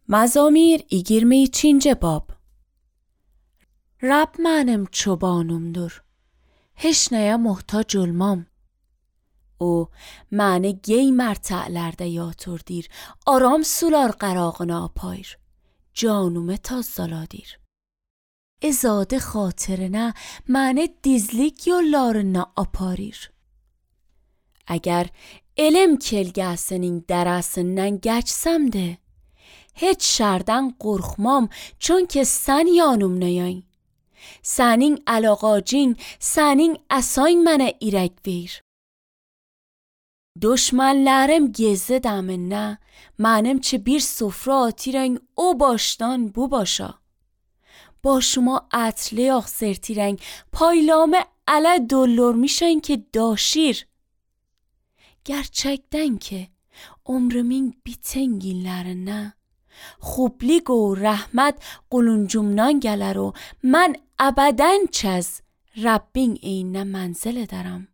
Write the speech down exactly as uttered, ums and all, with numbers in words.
Mazamir yigirme üçüncü bab. Rab mənim çobanımdır. Heç nəyə muhtac olmam. O məni gey mərtələrdə yatırdır. Aram sular qərağına apayır. Canımı tazzaladır. İzadı xatirinə məni dizlik yollarına aparır. Əgər elm kelgəsinin dərəsindən geçsəm də, heç şərdən qorxmam, çünki sən yanımdaysan. Sənin əlaqacın, sənin əsayn mənə irək ver. Düşmənlərim gizli dəminə, mənim ki bir sofra atırən o başdan bu başa. Başıma ətli yağ sertirən, paylamı ələ doldurmuşan ki daşir. Gerçekten ki ömrümün biten günlərində xublik و rəhmət quluncumdan gələr و mən əbədən çəz Rabbin eyninə mənzil edərəm.